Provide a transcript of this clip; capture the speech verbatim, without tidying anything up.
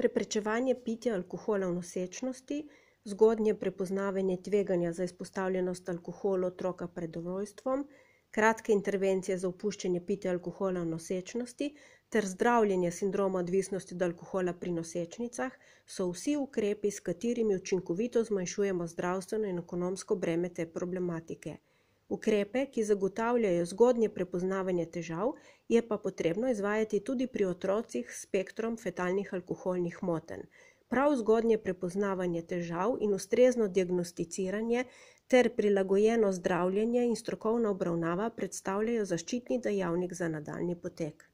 preprečevanje pitja alkohola v nosečnosti, zgodnje prepoznavanje tveganja za izpostavljenost alkoholu otroka pred rojstvom, kratke intervencije za opuščanje pitja alkohola v nosečnosti ter zdravljenje sindroma odvisnosti od alkohola pri nosečnicah so vsi ukrepi, s katerimi učinkovito zmanjšujemo zdravstveno in ekonomsko breme te problematike. Ukrepe, ki zagotavljajo zgodnje prepoznavanje težav, je pa potrebno izvajati tudi pri otrocih s spektrom fetalnih alkoholnih motenj. Prav zgodnje prepoznavanje težav in ustrezno diagnosticiranje ter prilagojeno zdravljenje in strokovna obravnava predstavljajo zaščitni dejavnik za nadaljnji potek.